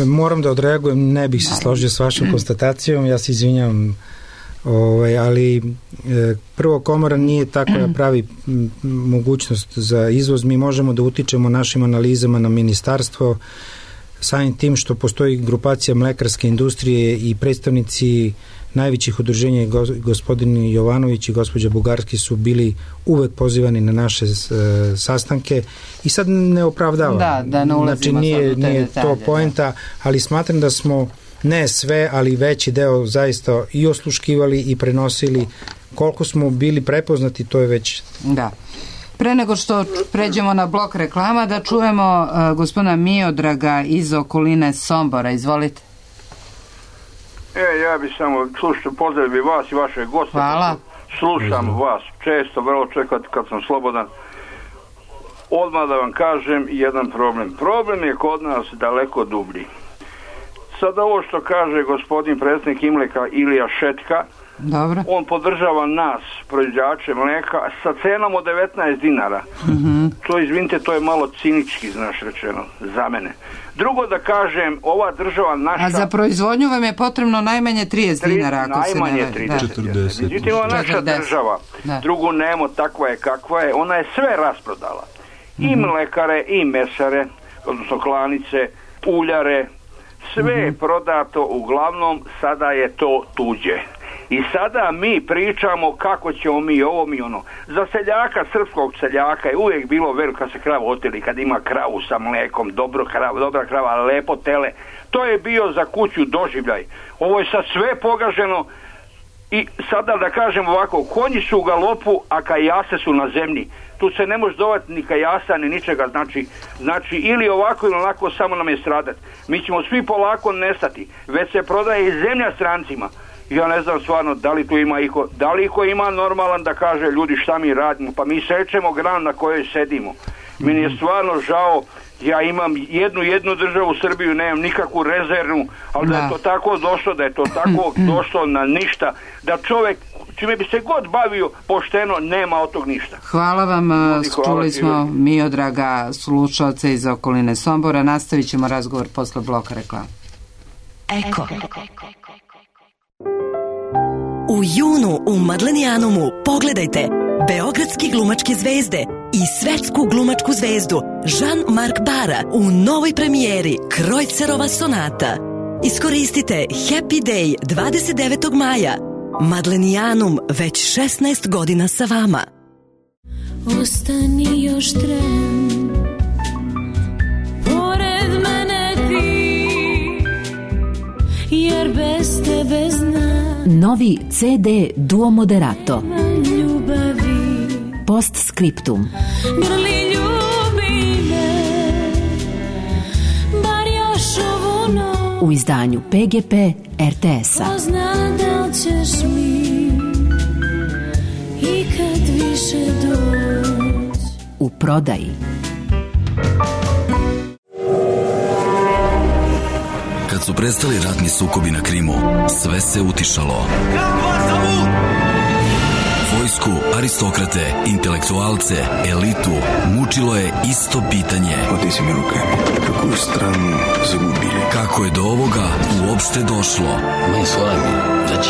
Moram da odreagujem, ne bih se složio s vašom konstatacijom, ja se izvinjam, ali prvo komora nije tako da pravi mogućnost za izvoz. Mi možemo da utičemo našim analizama na ministarstvo samim tim što postoji grupacija mlekarske industrije i predstavnici najvećih udruženja, gospodin Jovanović i gospođa Bugarski su bili uvek pozivani na naše sastanke i sad ne opravdavam. Da ne ulazimo znači, nije to poenta, ali smatram da smo ne sve, ali veći deo zaista i osluškivali i prenosili. Koliko smo bili prepoznati, to je već... Da. Pre nego što pređemo na blok reklama, da čujemo gospodina Miodraga iz okoline Sombora. Izvolite. Ja bi samo pozdravio vas i vaše goste. Hvala. Slušam vas često, vrlo čekati kad sam slobodan. Odmah da vam kažem jedan problem. Problem je kod nas daleko dublji. Sad ovo što kaže gospodin predsjednik Imleka Ilija Šetka, dobro. On podržava nas, proizvođače mleka, sa cenom od 19 dinara. To, izvinite, to je malo cinički, znaš, rečeno, za mene. Drugo da kažem, ova država naša... A za proizvodnju vam je potrebno najmanje 30 dinara, ako se ne... Najmanje 30. Međutim, ova naša država, drugu nemo, takva je kakva je, ona je sve rasprodala. I mlekare, i mesare, odnosno klanice, uljare, sve je prodato, uglavnom sada je to tuđe. I sada mi pričamo kako ćemo mi ovo, mi ono. Za seljaka, srpskog seljaka je uvijek bilo veliko kad se krava oteli, kad ima kravu sa mlekom, dobra krava, lepo tele. To je bio za kuću doživljaj. Ovo je sad sve pogaženo i sada da kažem ovako, konji su u galopu, a kajase su na zemlji. Tu se ne može dovati ni kajasa, ni ničega, znači ili ovako ili onako, samo nam je stradati. Mi ćemo svi polako nestati, već se prodaje i zemlja strancima. Ja ne znam stvarno da li tu ima iko, da li iko ima normalan da kaže ljudi šta mi radimo, pa mi sečemo granu na kojoj sedimo. Meni je stvarno žao, ja imam jednu državu, Srbiju, nemam nikakvu rezervnu, ali da je to tako došlo, da je to tako došlo na ništa, da čovjek čime bi se god bavio pošteno, nema od tog ništa. Hvala vam, čuli smo Miodraga, slušalce iz okoline Sombora. Nastavit ćemo razgovor posle bloka reklama. Eko. U junu u Madlenijanumu pogledajte beogradske glumačke zvezde i svetsku glumačku zvezdu Jean-Marc Bara u novoj premijeri Krojcerova sonata. Iskoristite Happy Day 29. maja. Madlenijanum već 16 godina sa vama. Ostani još tren, pored mene ti, jer bez tebe znam. Novi CD Duo Moderato. Ljubavi. Postscriptum. Grli ljubi me, bar još ovu noć. U izdanju PGP RTS-a. Pozna da li ćeš mi ikad više doći. U prodaji. Kad su prestali ratni sukobi na Krimu, sve se utišalo. Vojsku, aristokrate, intelektualce, elitu mučilo je isto pitanje. Oteci mi ruke, kakvu stranu zagubili? Kako je do ovoga uopšte došlo?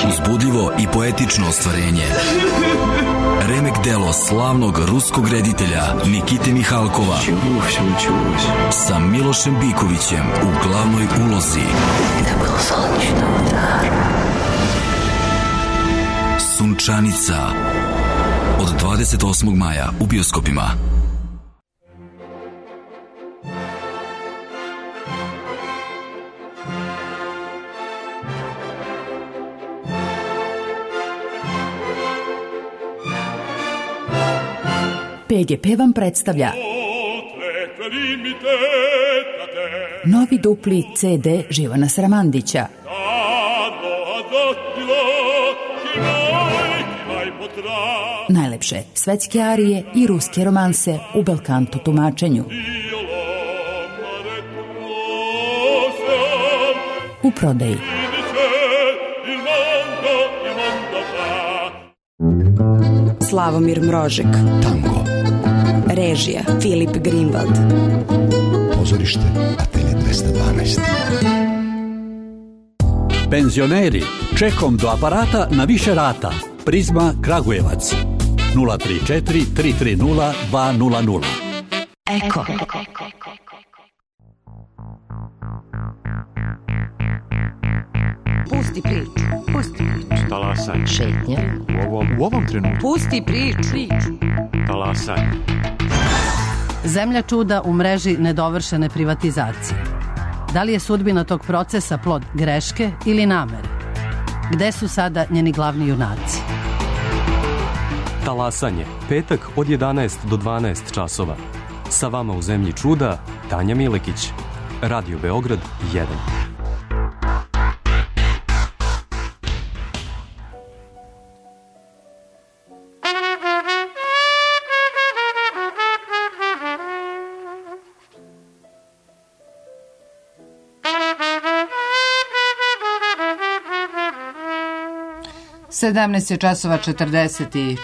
Uzbudljivo i poetično ostvarenje. Remek delo slavnog ruskog reditelja Nikite Mihalkova sa Milošem Bikovićem u glavnoj ulozi. Sunčanica od 28. maja u bioskopima. PGP vam predstavlja novi dupli CD Živana Sramandića. Najlepše svetske arije i ruske romanse u belkanto tumačenju. U prodaji. Slavomir Mrožek. Tango. Režija Filip Greenwald. Pozorište Atelje 212. Penzioneri, čekom do aparata na više rata. Prizma Kragujevac 034 330 200. Eko. Pusti priču. Talasanje. Šetnja. U ovom trenutku. Pusti priču. Talasanje. Zemlja čuda u mreži nedovršene privatizacije. Da li je sudbina tog procesa plod greške ili namere? Gde su sada njeni glavni junaci? Talasanje. Petak od 11 do 12 časova. Sa vama u Zemlji čuda, Tanja Milekić. Radio Beograd 1. Sedamnaest je časova 44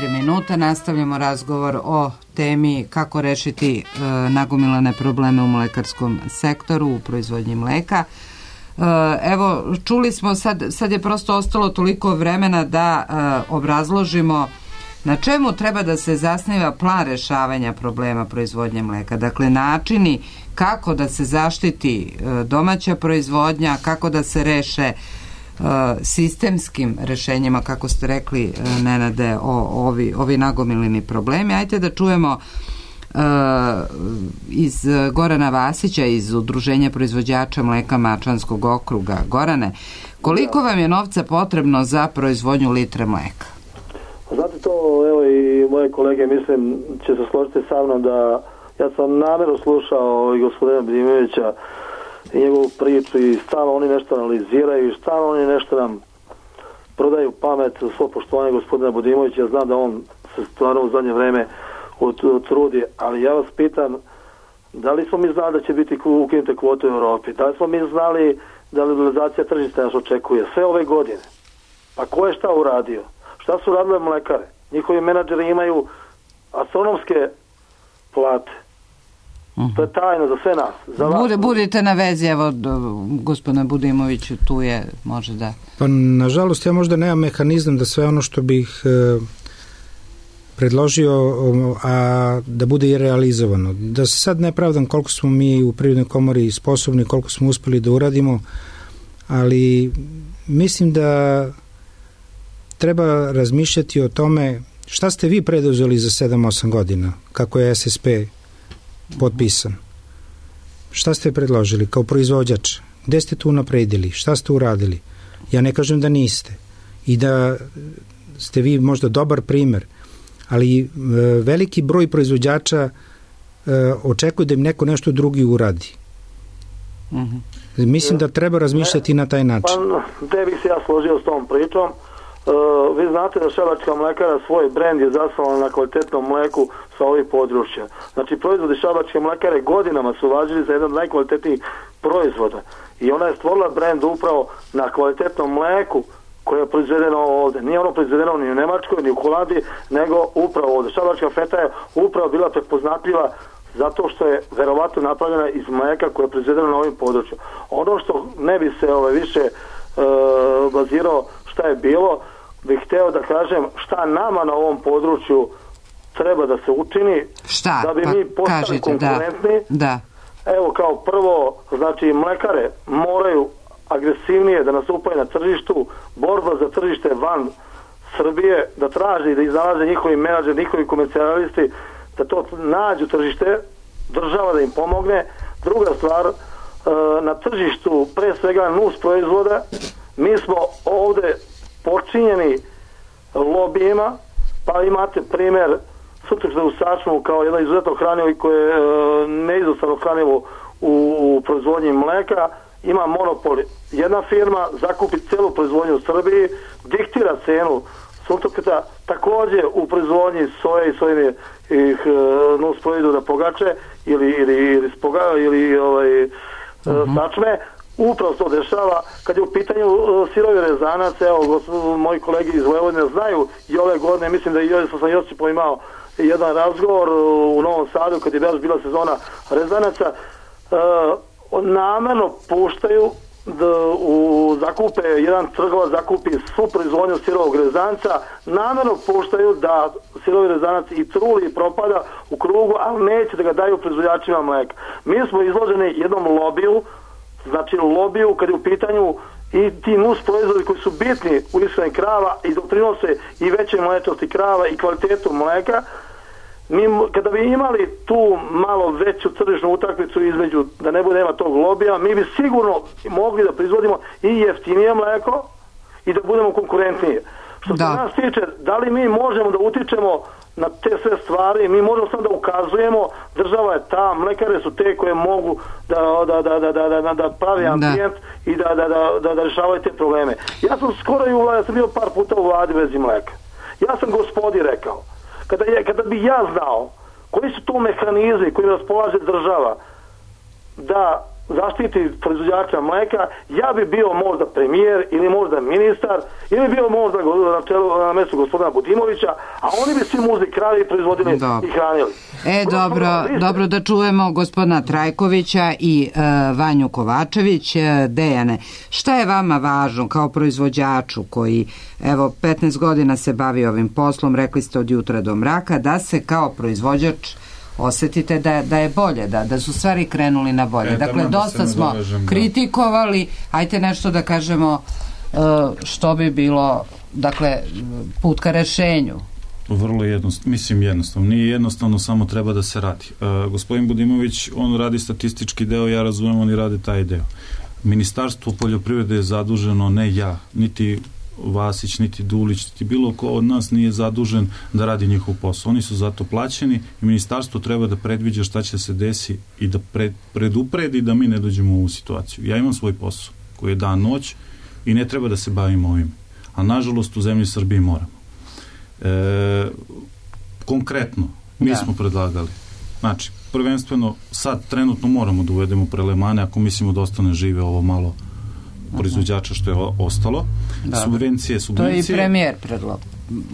minuta. Nastavljamo razgovor o temi kako rešiti nagomilane probleme u mlekarskom sektoru, u proizvodnji mleka. Evo, čuli smo, sad je prosto ostalo toliko vremena da obrazložimo na čemu treba da se zasniva plan rešavanja problema proizvodnje mleka. Dakle, načini kako da se zaštiti domaća proizvodnja, kako da se reše sistemskim rešenjima, kako ste rekli, Nenade, ovi nagomileni problemi. Ajde da čujemo iz Gorana Vasića iz Udruženja proizvođača mleka Mačvanskog okruga. Gorane, koliko vam je novca potrebno za proizvodnju litre mleka? Znate to, evo i moje kolege, mislim, će se složiti sa mnom da ja sam namjerno slušao i gospodina Bedimovića i njegovu priču i stalno oni nešto analiziraju i stalno oni nešto nam prodaju pamet, svo poštovanje gospodina Budimovića. Ja znam da on se stvarno u zadnje vreme trudi, ali ja vas pitam, da li smo mi znali da će biti ukinute kvote u Europi? Da li smo mi znali da liberalizacija tržišta nas očekuje sve ove godine? Pa ko je šta uradio? Šta su radile mlekare? Njihovi menadžeri imaju astronomske plate. To je tajno za sve nas. Budite na vezi, evo, gospodine Budimoviću, tu je, može da... Pa, nažalost, ja možda nemam mehanizam da sve ono što bih predložio, a da bude i realizovano. Da se sad ne pravdam koliko smo mi u Privrednoj komori sposobni, koliko smo uspeli da uradimo, ali mislim da treba razmišljati o tome šta ste vi preduzeli za 7-8 godina, kako je SSP potpisan. Šta ste predložili kao proizvođač? Gde ste tu napredili? Šta ste uradili? Ja ne kažem da niste i da ste vi možda dobar primer, ali veliki broj proizvođača očekuje da im neko nešto drugi uradi. Mislim da treba razmišljati na taj način. Pa, te bih se ja složio s tom pričom. Vi znate da Šabačka mlekara svoj brend je zasnovala na kvalitetnom mleku sa ovih područja. Znači, proizvodi Šabačke mlekare godinama su važili za jedan od najkvalitetnijih proizvoda. I ona je stvorila brend upravo na kvalitetnom mleku koje je proizvedeno ovde. Nije ono proizvedeno ni u Nemačkoj, ni u Holandiji, nego upravo ovde. Šabačka feta je upravo bila prepoznatljiva zato što je verovatno napravljena iz mleka koje je proizvedeno na ovim području. Ono što ne bi se više bazirao šta je bilo, bih hteo da kažem šta nama na ovom području treba da se učini da bi mi postali konkurentni. Da. Evo, kao prvo, znači mlekare moraju agresivnije da nastupaju na tržištu, borba za tržište van Srbije, da traži, da iznalaze njihovi menadžeri, njihovi komercijalisti, da to nađu tržište, država da im pomogne. Druga stvar, na tržištu pre svega nus proizvoda, mi smo ovde počinjeni lobijima, pa imate primer Sutrašta u Sačmu kao jedno izuzetno hranivo i koje je neizostavno hranivo u proizvodnji mleka, ima monopol. Jedna firma zakupi celu proizvodnju u Srbiji, diktira cenu suncokreta, takođe u proizvodnji soje i sojenih nus proizvoda pogače ili sačme. Upravo to dešava. Kad je u pitanju sirovi rezanac, evo, moji kolegi iz Vojvodine znaju i ove godine, mislim da sam Josipom imao jedan razgovor u Novom Sadu kad je bila sezona rezanaca, namerno puštaju zakupe, jedan trgovac zakupi svu proizvodnju sirovog rezanca, namerno puštaju da sirovi rezanac i truli i propada u krugu, ali neće da ga daju proizvođačima mleka. Mi smo izloženi jednom lobiju, znači lobiju kad je u pitanju i ti nus proizvodi koji su bitni u ishrani krava i doprinose i veće mlečnosti krava i kvalitetu mleka. Mi, kada bi imali tu malo veću tržišnu utakmicu između, da ne bude nema tog lobija, mi bi sigurno mogli da proizvodimo i jeftinije mleko i da budemo konkurentnije. Što se nas tiče, da li mi možemo da utičemo na te sve stvari, mi možemo samo da ukazujemo, država je ta, mlekare su te koje mogu da pravi ambijent i da rešavaju te probleme. Ja sam skoro i u vladi, ja sam bio par puta u vladi vezi mleka. Ja sam gospodi rekao, kada bi ja znao koji su to mehanizmi koji raspolaže država da zaštiti proizvođača mleka, ja bi bio možda premijer ili možda ministar ili bio možda na mestu gospodina Budimovića, a oni bi svi muzli krali i proizvodili i hranili. Dobro da čujemo gospodina Trajkovića i Vanju Kovačević. Dejane, šta je vama važno kao proizvođaču koji 15 godina se bavi ovim poslom, rekli ste od jutra do mraka, da se kao proizvođač osetite da je bolje, da su stvari krenuli na bolje. Dakle, dosta smo kritikovali, ajte nešto da kažemo što bi bilo, dakle, put ka rešenju. Vrlo jednostavno. Nije jednostavno, samo treba da se radi. Gospodin Budimović, on radi statistički deo, ja razumijem, oni rade taj deo. Ministarstvo poljoprivrede je zaduženo, ne ja, niti Vasić, niti Dulić, niti bilo ko od nas nije zadužen da radi njihov posao. Oni su zato plaćeni i ministarstvo treba da predviđa šta će se desi i da predupredi da mi ne dođemo u ovu situaciju. Ja imam svoj posao koji je dan noć i ne treba da se bavim ovim. A nažalost u zemlji Srbiji moramo. Konkretno, mi smo predlagali. Znači, prvenstveno sad trenutno moramo da uvedemo prelemane ako mislimo da ostane žive ovo malo proizvođača što je ostalo. Subvencije. To je i premijer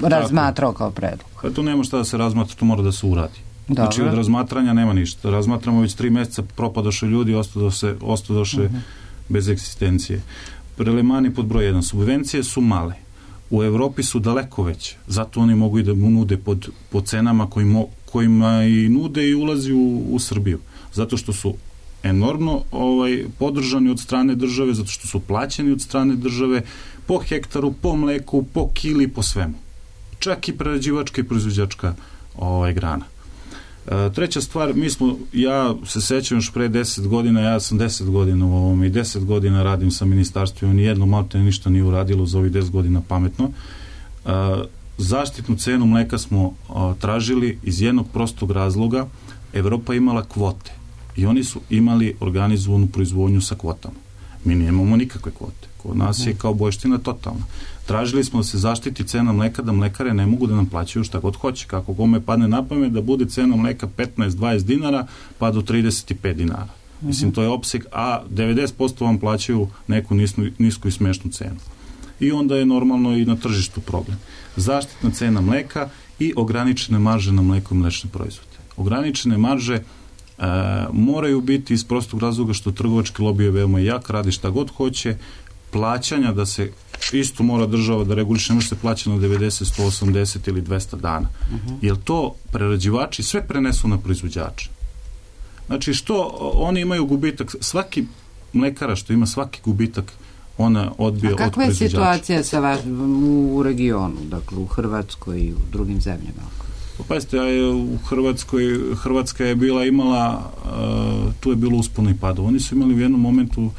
razmatrao kao predlog. Tu nema šta da se razmatra, to mora da se uradi. Znači od razmatranja nema ništa. Razmatramo već 3 meseca, propadoše ljudi, ostadoše bez egzistencije. Prelemani pod broj 1. Subvencije su male. U Evropi su daleko veće. Zato oni mogu i da mu nude po cenama kojima i nude i ulazi u Srbiju. Zato što su enormno podržani od strane države, zato što su plaćeni od strane države po hektaru, po mleku, po kili, po svemu. Čak i prerađivačka i proizvođačka grana. Treća stvar, ja se sećam još pre 10 godina, ja sam 10 godina u ovom i 10 godina radim sa ministarstvom, nijedno maltene ništa nije uradilo za ovih 10 godina pametno. Zaštitnu cenu mleka smo tražili iz jednog prostog razloga. Evropa imala kvote i oni su imali organizovanu proizvodnju sa kvotama. Mi nemamo nikakve kvote. Kod nas je kao bojština totalna. Tražili smo da se zaštiti cena mleka, da mlekare ne mogu da nam plaćaju šta god hoće. Kako kome padne na pamet da bude cena mleka 15-20 dinara pa do 35 dinara. Mislim, to je opseg, a 90% vam plaćaju neku nisku i smešnu cenu. I onda je normalno i na tržištu problem. Zaštitna cena mleka i ograničene marže na mleko i mlečne proizvode. Ograničene marže moraju biti iz prostog razloga što trgovački lobi je veoma jak, radi šta god hoće, plaćanja da se isto mora država da reguliše, ne može se plaća na 90, 180 ili 200 dana. Jer to prerađivači sve prenesu na proizvođače. Znači što oni imaju gubitak, svaki mlekara što ima svaki gubitak ona odbije od proizvođača. A kakva je situacija u regionu, dakle u Hrvatskoj i u drugim zemljama? Pazite, u Hrvatska je imala, tu je bilo uspona i pada. Oni su imali u jednom momentu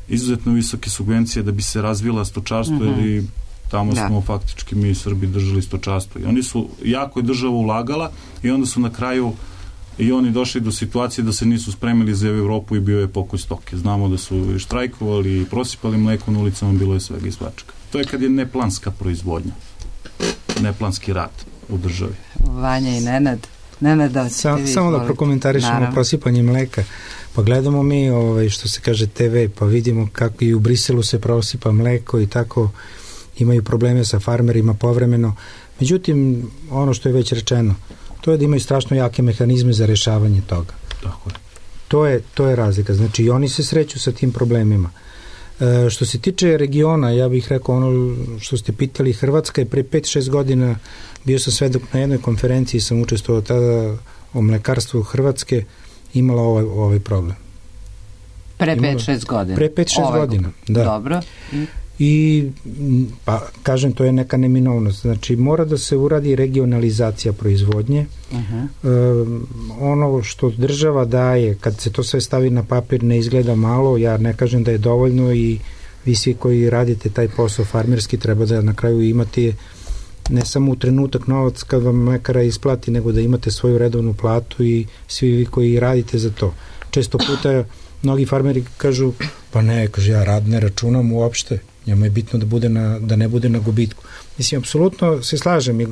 izuzetno visoke subvencije da bi se razvila stočarstvo, jer tamo smo faktički mi Srbi držali stočarstvo. I oni su, jako je država ulagala i onda su na kraju i oni došli do situacije da se nisu spremili za Evropu i bio je pokoj stoke. Znamo da su štrajkovali i prosipali mleko na ulicama, bilo je svega i svačega. To je kad je neplanska proizvodnja, neplanski rad u državi. Vanja i Nenad, da ćete vi samo da prokomentarišemo prosipanje mleka. Pa gledamo mi što se kaže TV, pa vidimo kako i u Briselu se prosipa mleko i tako imaju probleme sa farmerima povremeno. Međutim, ono što je već rečeno, to je da imaju strašno jake mehanizme za rešavanje toga. Tako je. To je razlika. Znači i oni se sreću sa tim problemima. Što se tiče regiona, ja bih rekao ono što ste pitali, Hrvatska je pre 5-6 godina, bio sam svedok na jednoj konferenciji, sam učestvovao tada o mlekarstvu Hrvatske, imala ovaj problem. Pre 5-6 godina? Pre 5-6 godina, da. Dobro. I, pa kažem, to je neka neminovnost. Znači, mora da se uradi regionalizacija proizvodnje. Ono što država daje, kad se to sve stavi na papir, ne izgleda malo, ja ne kažem da je dovoljno i vi svi koji radite taj posao farmerski treba da na kraju imate ne samo u trenutak novac kad vam mlekara isplati, nego da imate svoju redovnu platu i svi vi koji radite za to. Često puta mnogi farmeri kažu, pa ne, kaže, ja rad ne računam uopšte, njemu je bitno da ne bude na gubitku. Mislim, apsolutno se slažem i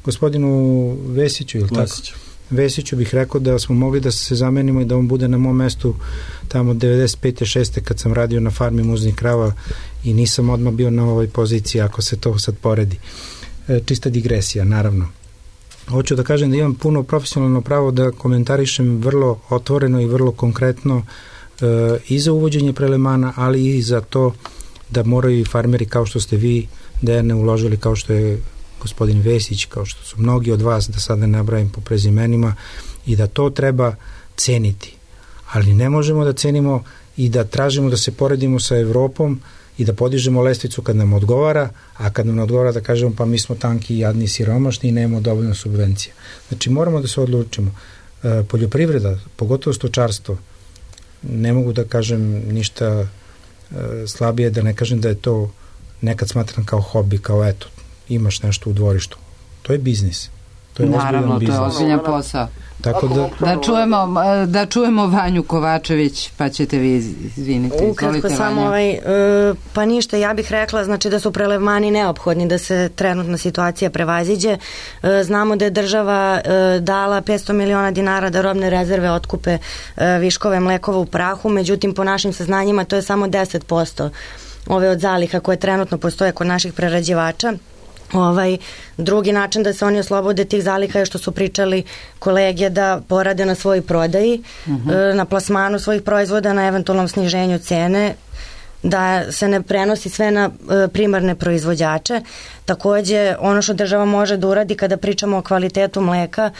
gospodinu Vesiću, ili tako? Vesiću bih rekao da smo mogli da se zamenimo i da on bude na mom mestu tamo 95. 6. kad sam radio na farmi muznih krava i nisam odmah bio na ovoj poziciji ako se to sad poredi. Čista digresija, naravno. Hoću da kažem da imam puno profesionalno pravo da komentarišem vrlo otvoreno i vrlo konkretno i za uvođenje prelemana, ali i za to da moraju i farmeri kao što ste vi ne uložili, kao što je gospodin Vesić, kao što su mnogi od vas, da sad ne nabrajam po prezimenima, i da to treba ceniti. Ali ne možemo da cenimo i da tražimo da se poredimo sa Evropom i da podižemo lestvicu kad nam odgovara, a kad nam ne odgovara da kažemo pa mi smo tanki, jadni, siromašni i nemamo dovoljno subvencija. Znači moramo da se odlučimo. Poljoprivreda, pogotovo stočarstvo, ne mogu da kažem ništa slabije, da ne kažem da je to nekad smatram kao hobi, kao eto, imaš nešto u dvorištu. To je biznis. To je naravno, biznis. To je ozbiljan posao. Tako da čujemo Vanju Kovačević, pa ćete vi izvinite. Ukratko samo pa ništa, ja bih rekla znači da su prelevmani neophodni da se trenutna situacija prevaziđe. Znamo da je država dala 500 miliona dinara da robne rezerve otkupe viškove mlekova u prahu, međutim po našim saznanjima to je samo 10% ove od zaliha koje trenutno postoje kod naših prerađivača. Drugi način da se oni oslobode tih zaliha je što su pričali kolege da porade na svojoj prodaji, na plasmanu svojih proizvoda, na eventualnom sniženju cene. da se ne prenosi sve na primarne proizvođače. Takođe, ono što država može da uradi kada pričamo o kvalitetu mleka,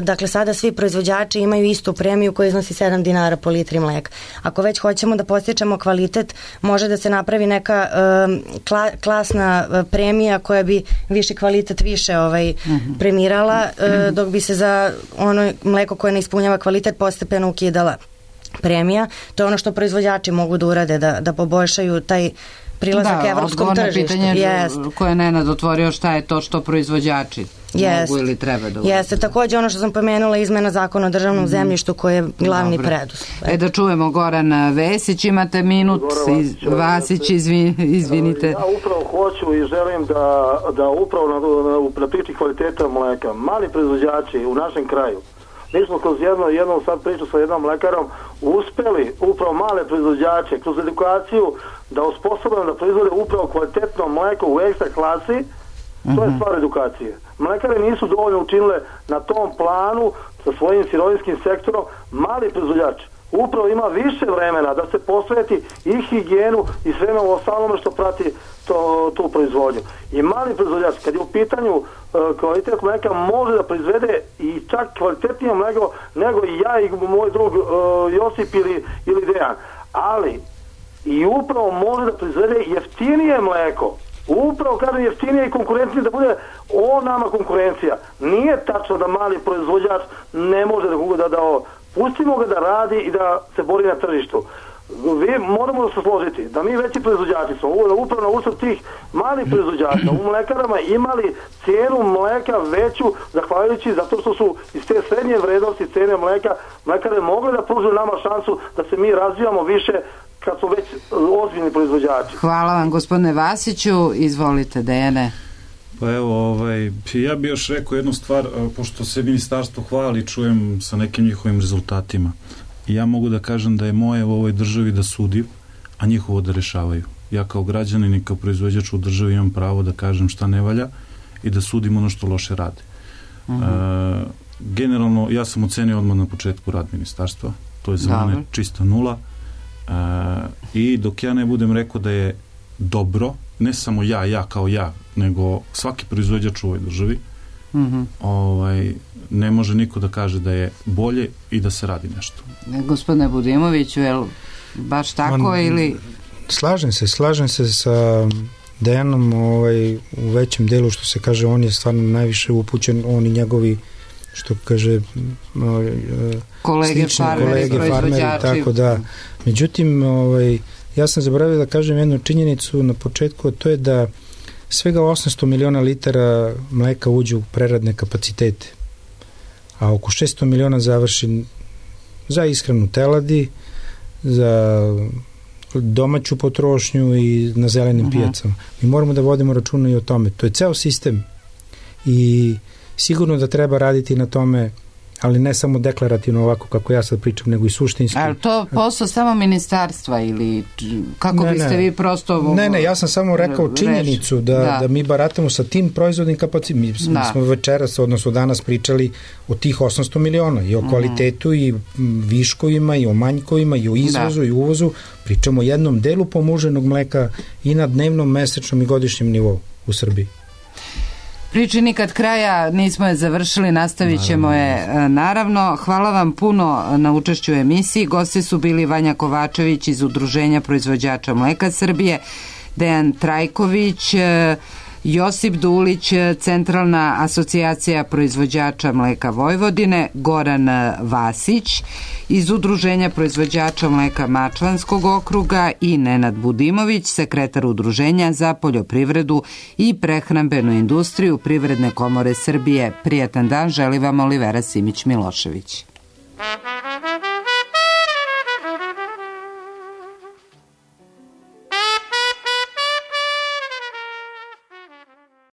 dakle sada svi proizvođači imaju istu premiju koja iznosi 7 dinara po litri mleka. Ako već hoćemo da postičemo kvalitet, može da se napravi neka klasna premija koja bi viši kvalitet više premirala, dok bi se za ono mleko koje ne ispunjava kvalitet postepeno ukidala premija. To je ono što proizvođači mogu da urade, da poboljšaju taj prilazak evropskom tržištu. Da, pitanje koje je Nenad otvorio, šta je to što proizvođači mogu ili treba da urade. Jeste, takođe ono što sam pomenula, izmena zakona o državnom zemljištu koji je glavni preduslov. Da čujemo Goran Vesić, imate minut. Vasić, izvinite. Ja upravo hoću i želim da upravo na priči kvaliteta mleka, mali proizvođači u našem kraju, mi smo kroz jednu sad priču sa jednom mlekarom uspeli upravo male proizvođače kroz edukaciju da osposobimo da proizvode upravo kvalitetno mleko u ekstra klasi. To je stvar edukacije. Mlekare nisu dovoljno učinile na tom planu sa svojim sirovinskim sektorom. Mali proizvođač upravo ima više vremena da se posveti i higijenu i sveme u ostalome što prati tu proizvodnju. I mali proizvođač, kad je u pitanju kvalitet mleka, može da proizvede i čak kvalitetnije mleko nego i ja i moj drug Josip ili Dejan. Ali i upravo može da proizvede jeftinije mleko. Upravo kažem jeftinije i konkurentnije, da bude o nama konkurencija. Nije tačno da mali proizvođač ne može da pustimo ga da radi i da se bori na tržištu. Moramo da se složiti da mi veći proizvođači smo upravo na uslov tih malih proizvođača u mlekarama imali cijenu mleka veću zahvaljujući zato što su iz te srednje vrednosti cene mlekare mogle da pruže nama šansu da se mi razvijamo više kad su već ozbiljni proizvođači. Hvala vam gospodine Vasiću, izvolite Dejane. Pa evo, ja bih još rekao jednu stvar, pošto se ministarstvo hvali, čujem sa nekim njihovim rezultatima. I ja mogu da kažem da je moje u ovoj državi da sudim, a njihovo da rešavaju. Ja kao građanin i kao proizvođač u državi imam pravo da kažem šta ne valja i da sudim ono što loše rade. Generalno, ja sam ocenio odmah na početku rad ministarstva. To je za mene čista nula. I dok ja ne budem rekao da je dobro, ne samo ja kao ja, nego svaki proizvođač u ovoj državi, ne može niko da kaže da je bolje i da se radi nešto. Gospodine Budimoviću, je li baš tako ili... Slažem se sa Dejanom u većem delu, što se kaže, on je stvarno najviše upućen, on i njegovi, što kaže, kolege farmeri, tako da. Međutim, ja sam zaboravio da kažem jednu činjenicu na početku, a to je da svega 800 miliona litara mleka uđe u preradne kapacitete, a oko 600 miliona završi za ishranu teladi, za domaću potrošnju i na zelenim pijacama. Mi moramo da vodimo računa i o tome. To je ceo sistem i sigurno da treba raditi na tome, ali ne samo deklarativno ovako kako ja sad pričam, nego i suštinski. Ali to posao samo ministarstva ili kako biste vi prosto... Ne, ja sam samo rekao činjenicu da mi baratamo sa tim proizvodnim kapacitetom. Mi smo večeras, odnosno danas pričali o tih 800 miliona i o kvalitetu i viškovima i o manjkovima i o izvozu i uvozu. Pričamo o jednom delu pomuženog mleka i na dnevnom, mesečnom i godišnjem nivou u Srbiji. Priči nikad kraja, nismo je završili, nastavit ćemo je naravno. Hvala vam puno na učešću u emisiji. Gosti su bili Vanja Kovačević iz Udruženja proizvođača mleka Srbije, Dejan Trajković, Josip Dulić, Centralna asocijacija proizvođača mleka Vojvodine, Goran Vasić iz Udruženja proizvođača mleka Mačvanskog okruga i Nenad Budimović, sekretar Udruženja za poljoprivredu i prehrambenu industriju Privredne komore Srbije. Prijatan dan, želi vam Olivera Simić-Milošević.